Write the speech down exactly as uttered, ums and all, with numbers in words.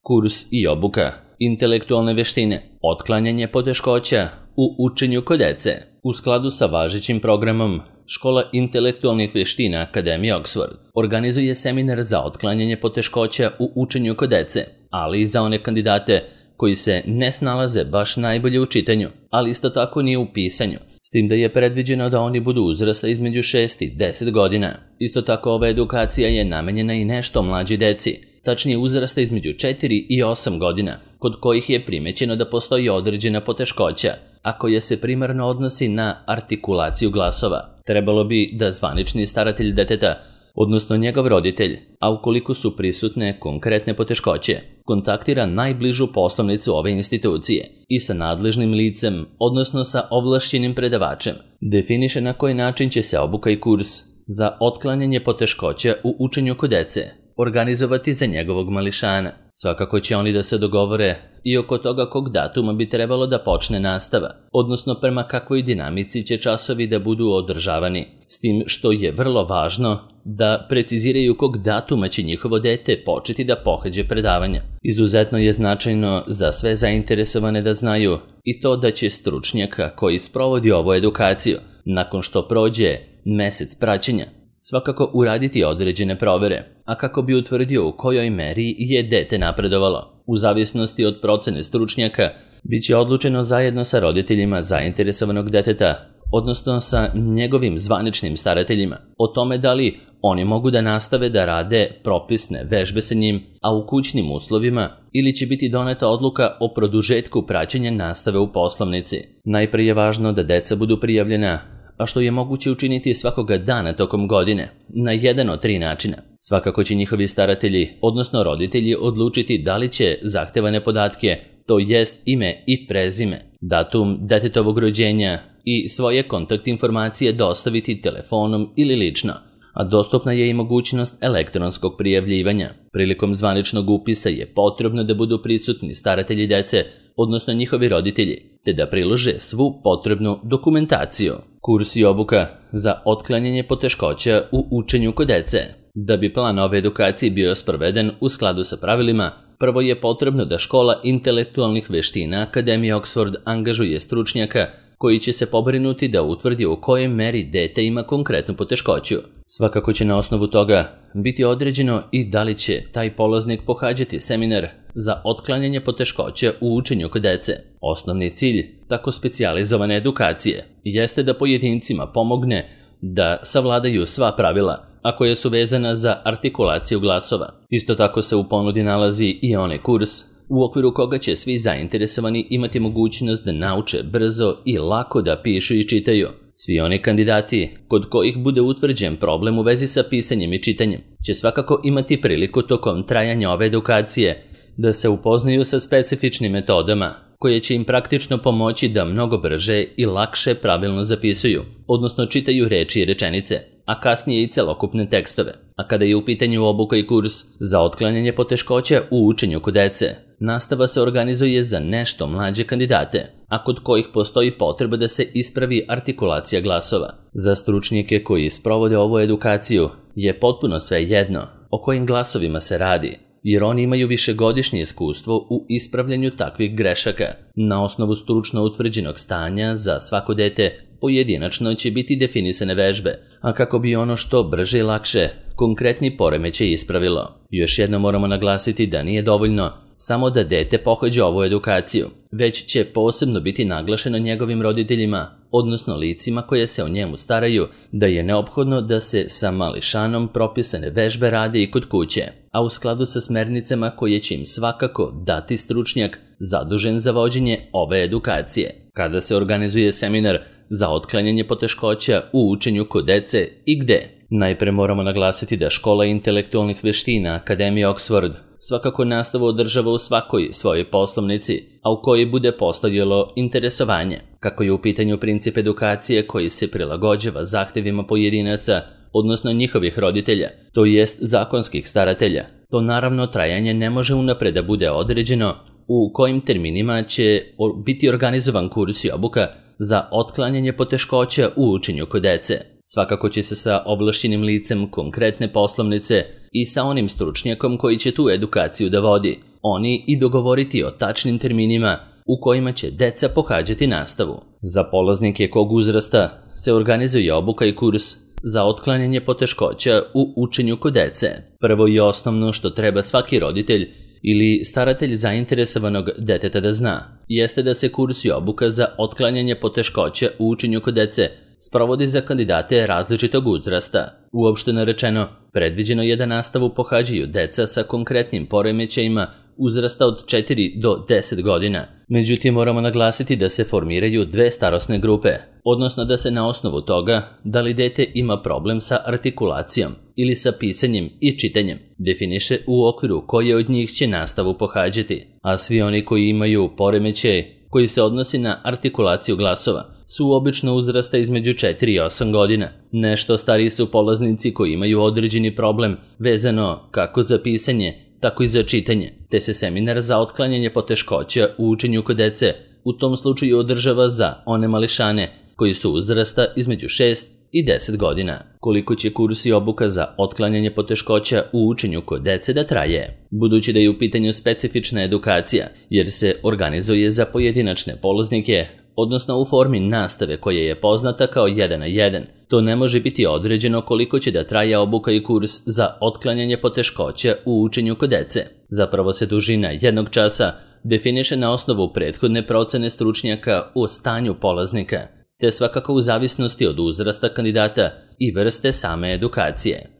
Kurs i obuka, intelektualne veštine, otklanjanje poteškoća u učenju kod dece. U skladu sa važećim programom, Škola intelektualnih veština Akademije Oxford organizuje seminar za otklanjanje poteškoća u učenju kod dece, ali i za one kandidate koji se ne snalaze baš najbolje u čitanju, ali isto tako nije u pisanju, s tim da je predviđeno da oni budu uzrasta između šest i deset godina. Isto tako ova edukacija je namenjena i nešto mlađi deci, tačnije uzrasta između četiri i osam godina, kod kojih je primećeno da postoji određena poteškoća, a koja se primarno odnosi na artikulaciju glasova. Trebalo bi da zvanični staratelj deteta, odnosno njegov roditelj, a ukoliko su prisutne konkretne poteškoće, kontaktira najbližu poslovnicu ove institucije i sa nadležnim licem, odnosno sa ovlašćenim predavačem, definiše na koji način će se obuka i kurs za otklanjanje poteškoća u učenju kod dece organizovati za njegovog mališana. Svakako će oni da se dogovore i oko toga kog datuma bi trebalo da počne nastava, odnosno prema kakvoj dinamici će časovi da budu održavani, s tim što je vrlo važno da preciziraju kog datuma će njihovo dete početi da pohađa predavanja. Izuzetno je značajno za sve zainteresovane da znaju i to da će stručnjaka koji sprovodi ovu edukaciju, nakon što prođe mesec praćenja, svakako uraditi određene provere, a kako bi utvrdio u kojoj meri je dete napredovalo. U zavisnosti od procene stručnjaka, bit će odlučeno zajedno sa roditeljima zainteresovanog deteta, odnosno sa njegovim zvaničnim starateljima, o tome da li oni mogu da nastave da rade propisne vežbe sa njim, a u kućnim uslovima, ili će biti doneta odluka o produžetku praćenja nastave u poslovnici. Najprije je važno da deca budu prijavljena, a što je moguće učiniti svakoga dana tokom godine, na jedan od tri načina. Svakako će njihovi staratelji, odnosno roditelji, odlučiti da li će zahtevane podatke, to jest ime i prezime, datum detetovog rođenja i svoje kontakt informacije dostaviti telefonom ili lično, a dostupna je i mogućnost elektronskog prijavljivanja. Prilikom zvaničnog upisa je potrebno da budu prisutni staratelji dece, odnosno njihovi roditelji, te da prilože svu potrebnu dokumentaciju. Kurs i obuka za otklanjanje poteškoća u učenju kod dece. Da bi plan ove edukacije bio sproveden u skladu sa pravilima, prvo je potrebno da Škola intelektualnih veština Akademije Oxford angažuje stručnjaka koji će se pobrinuti da utvrdi u kojoj meri dete ima konkretnu poteškoću. Svakako će na osnovu toga biti određeno i da li će taj polaznik pohađati seminar za otklanjanje poteškoća u učenju kod dece. Osnovni cilj tako specijalizovane edukacije jeste da pojedincima pomogne da savladaju sva pravila, a koja su vezana za artikulaciju glasova. Isto tako se u ponudi nalazi i onaj kurs u okviru koga će svi zainteresovani imati mogućnost da nauče brzo i lako da pišu i čitaju. Svi oni kandidati kod kojih bude utvrđen problem u vezi sa pisanjem i čitanjem će svakako imati priliku tokom trajanja ove edukacije da se upoznaju sa specifičnim metodama koje će im praktično pomoći da mnogo brže i lakše pravilno zapisuju, odnosno čitaju reči i rečenice, a kasnije i celokupne tekstove. A kada je u pitanju obuka i kurs za otklanjanje poteškoća u učenju kod dece, nastava se organizuje za nešto mlađe kandidate, a kod kojih postoji potreba da se ispravi artikulacija glasova. Za stručnjake koji sprovode ovu edukaciju je potpuno sve jedno o kojim glasovima se radi, jer oni imaju višegodišnje iskustvo u ispravljanju takvih grešaka. Na osnovu stručno utvrđenog stanja za svako dete pojedinačno će biti definisane vežbe, a kako bi ono što brže i lakše konkretni poremećaj ispravilo. Još jedno moramo naglasiti da nije dovoljno samo da dete pohađa ovu edukaciju, već će posebno biti naglašeno njegovim roditeljima, odnosno licima koje se o njemu staraju, da je neophodno da se sa mališanom propisane vežbe rade i kod kuće, a u skladu sa smernicama koje će im svakako dati stručnjak zadužen za vođenje ove edukacije. Kada se organizuje seminar za otklanjanje poteškoća u učenju kod dece i gde? Najpre moramo naglasiti da Škola intelektualnih veština Akademije Oxford svakako nastavu održava u svakoj svojoj poslovnici, a u kojoj bude postojalo interesovanje. Kako je u pitanju princip edukacije koji se prilagođava zahtevima pojedinaca, odnosno njihovih roditelja, to jest zakonskih staratelja, to naravno trajanje ne može unapred da bude određeno u kojim terminima će biti organizovan kurs i obuka za otklanjanje poteškoća u učenju kod dece. Svakako će se sa ovlašćenim licem konkretne poslovnice i sa onim stručnjakom koji će tu edukaciju da vodi oni i dogovoriti o tačnim terminima u kojima će deca pohađati nastavu. Za polaznike kog uzrasta se organizuje obuka i kurs za otklanjanje poteškoća u učenju kod dece. Prvo i osnovno što treba svaki roditelj ili staratelj zainteresovanog deteta da zna, jeste da se kurs i obuka za otklanjanje poteškoća u učenju kod dece sprovodi za kandidate različitog uzrasta. Uopšteno rečeno, predviđeno je da nastavu pohađaju deca sa konkretnim poremećajima uzrasta od četiri do deset godina. Međutim, moramo naglasiti da se formiraju dve starosne grupe, odnosno da se na osnovu toga da li dete ima problem sa artikulacijom ili sa pisanjem i čitanjem definiše u okviru koje od njih će nastavu pohađati, a svi oni koji imaju poremećaj koji se odnosi na artikulaciju glasova su obično uzrasta između četiri i osam godina. Nešto stariji su polaznici koji imaju određeni problem vezano kako za pisanje, tako i za čitanje, te se seminar za otklanjanje poteškoća u učenju kod dece u tom slučaju održava za one mališane koji su uzrasta između šest i deset godina. Koliko će kurs i obuka za otklanjanje poteškoća u učenju kod dece da traje? Budući da je u pitanju specifična edukacija, jer se organizuje za pojedinačne polaznike, odnosno u formi nastave koja je poznata kao jedan na jedan, to ne može biti određeno koliko će da traje obuka i kurs za otklanjanje poteškoća u učenju kod dece. Zapravo se dužina jednog časa definiše na osnovu prethodne procene stručnjaka o stanju polaznika, te svakako u zavisnosti od uzrasta kandidata i vrste same edukacije.